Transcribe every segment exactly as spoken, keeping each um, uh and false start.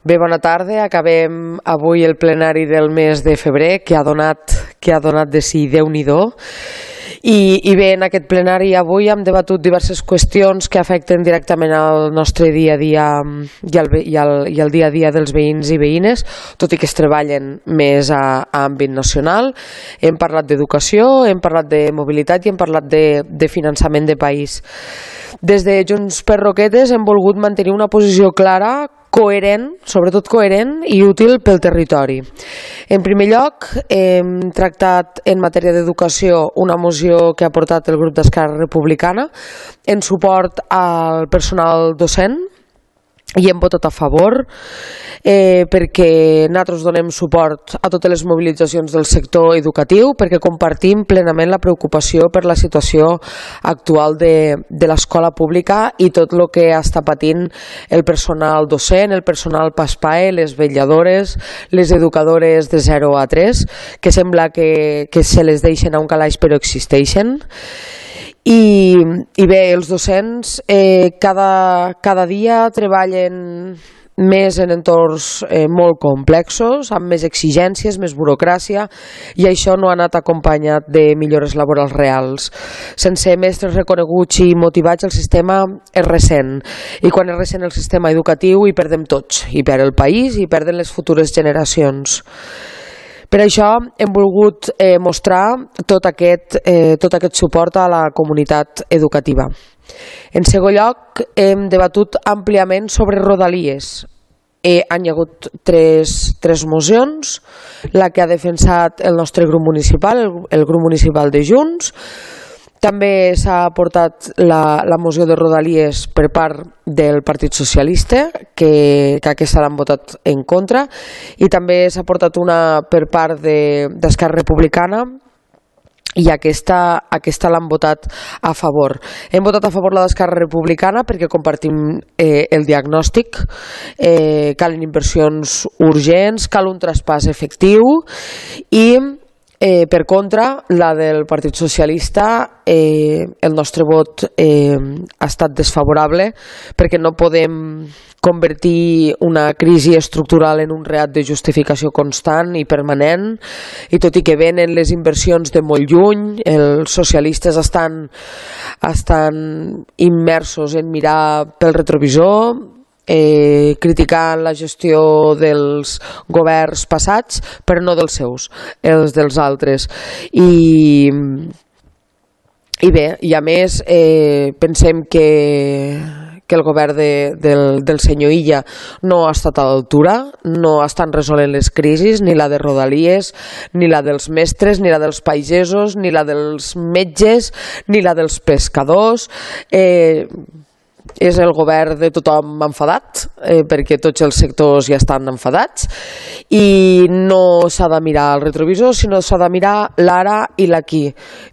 Bé, bona tarda. Acabem avui el plenari del mes de febrer, que ha donat, que ha donat de si Déu-n'hi-do. I, I bé, en aquest plenari avui hem debatut diverses qüestions que afecten directament al nostre dia a dia i al, i al, i al dia a dia dels veïns i veïnes, tot i que es treballen més a, a àmbit nacional. Hem parlat d'educació, hem parlat de mobilitat i hem parlat de, de finançament de país. Des de Junts per Roquetes hem volgut mantenir una posició clara, coherent, sobretot coherent i útil pel territori. En primer lloc, hem tractat en matèria d'educació una moció que ha portat el grup d'Esquerra Republicana en suport al personal docent i hem votat a favor eh, perquè nosaltres donem suport a totes les mobilitzacions del sector educatiu, perquè compartim plenament la preocupació per la situació actual de, de l'escola pública i tot el que està patint el personal docent, el personal PASPAE, les vetlladores, les educadores de zero a tres, que sembla que, que se les deixen a un calaix però existeixen. I, i bé, els docents eh, cada, cada dia treballen més en entorns eh, molt complexos, amb més exigències, més burocràcia, i això no ha anat acompanyat de millores laborals reals. Sense mestres reconeguts i motivats el sistema és recent, i quan és recent el sistema educatiu hi perdem tots, hi perd el país i hi perden les futures generacions. Per això hem volgut eh, mostrar tot aquest, eh, tot aquest suport a la comunitat educativa. En segon lloc, hem debatut àmpliament sobre Rodalies. Eh, han hi hagut tres, tres mocions, la que ha defensat el nostre grup municipal, el, el grup municipal de Junts. També s'ha portat la, la moció de Rodalies per part del Partit Socialista, que, que aquesta l'han votat en contra, i també s'ha portat una per part d'Esquerra de, Republicana, i aquesta, aquesta l'han votat a favor. Hem votat a favor la d'Esquerra Republicana perquè compartim eh, el diagnòstic, eh, calen inversions urgents, cal un traspàs efectiu i Eh, per contra, la del Partit Socialista, eh, el nostre vot eh, ha estat desfavorable perquè no podem convertir una crisi estructural en un reat de justificació constant i permanent, i tot i que venen les inversions de molt lluny, els socialistes estan, estan immersos en mirar pel retrovisor, Eh, criticant la gestió dels governs passats, però no dels seus, els dels altres. I, i bé, i a més eh, pensem que, que el govern de, del, del senyor Illa no ha estat a l'altura, no estan resolent les crisis, ni la de Rodalies, ni la dels mestres, ni la dels pagesos, ni la dels metges, ni la dels pescadors. Eh, és el govern de tothom enfadat, eh, perquè tots els sectors ja estan enfadats, i no s'ha de mirar el retrovisor, sinó s'ha de mirar l'ara i l'aquí.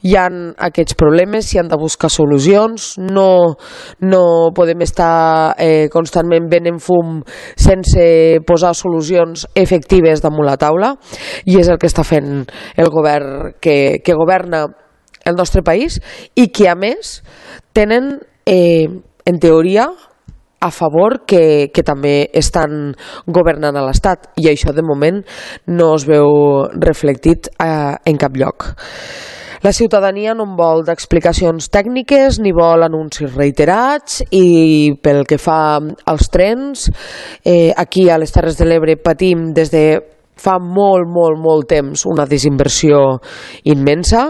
Hi ha aquests problemes, s'hi han de buscar solucions, no, no podem estar eh, constantment venent fum sense posar solucions efectives damunt la taula, i és el que està fent el govern que, que governa el nostre país, i que a més tenen eh, en teoria, a favor que, que també estan governant a l'Estat, i això de moment no es veu reflectit eh, en cap lloc. La ciutadania no en vol d'explicacions tècniques ni vol anuncis reiterats, i pel que fa als trens, eh, aquí a les Terres de l'Ebre patim des de fa molt, molt, molt temps una desinversió immensa,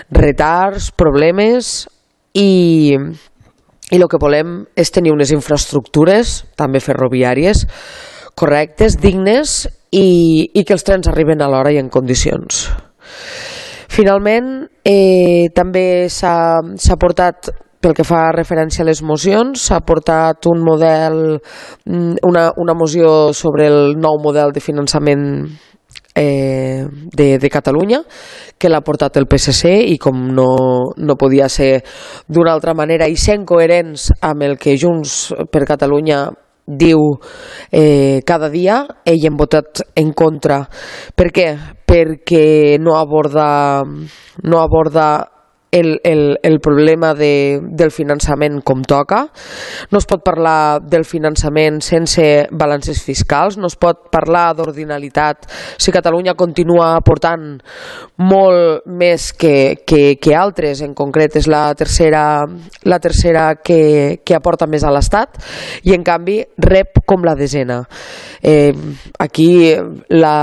retards, problemes, i... I el que volem és tenir unes infraestructures, també ferroviàries, correctes, dignes, i, i que els trens arriben a l'hora i en condicions. Finalment, eh, també s'ha portat, pel que fa referència a les mocions, s'ha portat un model, una, una moció sobre el nou model de finançament Eh, de, de Catalunya, que l'ha portat el P S C, i com no, no podia ser d'una altra manera, i sent coherents amb el que Junts per Catalunya diu eh, cada dia, ell hem votat en contra. Per què? Perquè no aborda, no aborda el, el, el problema de, del finançament com toca, no es pot parlar del finançament sense balances fiscals, no es pot parlar d'ordinalitat si Catalunya continua aportant molt més que, que, que altres, en concret és la tercera, la tercera que, que aporta més a l'Estat i en canvi rep com la desena. Eh, aquí la...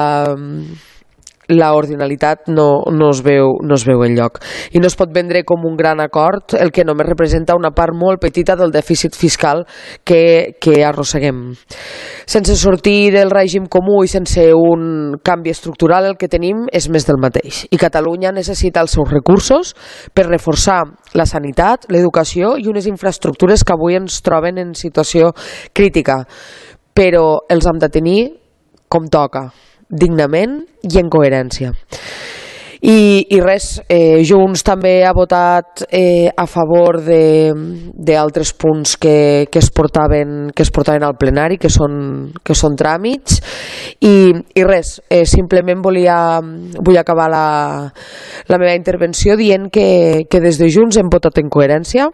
la ordinalitat no, no, es veu, no es veu enlloc i no es pot vendre com un gran acord el que només representa una part molt petita del dèficit fiscal que, que arrosseguem. Sense sortir del règim comú i sense un canvi estructural el que tenim és més del mateix i Catalunya necessita els seus recursos per reforçar la sanitat, l'educació i unes infraestructures que avui ens troben en situació crítica, però els hem de tenir com toca, dignament i en coherència. I, i res, eh, Junts també ha votat eh, a favor d'altres punts que, que, es portaven, que es portaven al plenari, que són, que són tràmits, i, i res, eh, simplement volia, vull acabar la, la meva intervenció dient que, que des de Junts hem votat en coherència,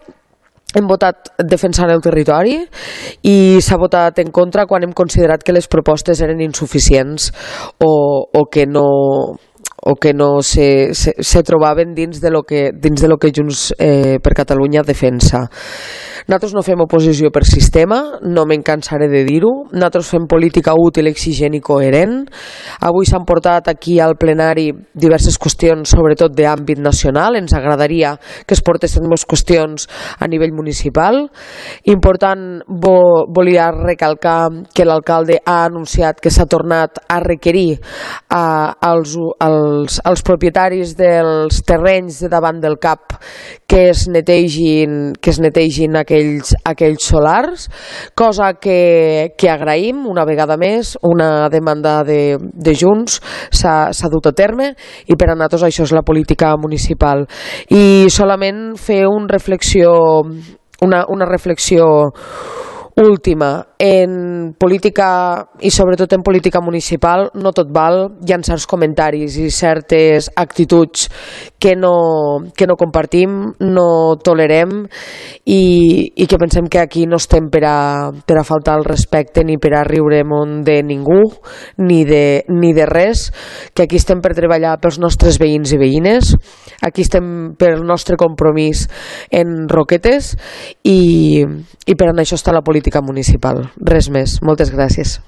hem votat defensant el territori i s'ha votat en contra quan hem considerat que les propostes eren insuficients o, o que no o que no se, se, se trobaven dins de lo que, dins de lo que Junts eh, per Catalunya defensa. Nosaltres no fem oposició per sistema, no me'n cansaré de dir-ho, nosaltres fem política útil, exigent i coherent. Avui s'han portat aquí al plenari diverses qüestions, sobretot d'àmbit nacional, ens agradaria que es portessin més qüestions a nivell municipal. Important, vo, volia recalcar que l'alcalde ha anunciat que s'ha tornat a requerir a, als, als, als propietaris dels terrenys de davant del C A P que es netegin, que es netegin aquells, aquells solars, cosa que, que agraïm una vegada més, una demanda de, de Junts s'ha dut a terme i per a nosaltres això és la política municipal. I solament fer un reflexió, una, una reflexió última. En política, i sobretot en política municipal, no tot val, hi ha certs comentaris i certes actituds que no, que no compartim, no tolerem i, i que pensem que aquí no estem per a, per a faltar el respecte ni per a riure món de ningú ni de, ni de res, que aquí estem per treballar pels nostres veïns i veïnes, aquí estem pel nostre compromís en Roquetes i, i per a això està la política municipal. Res més. Moltes gràcies.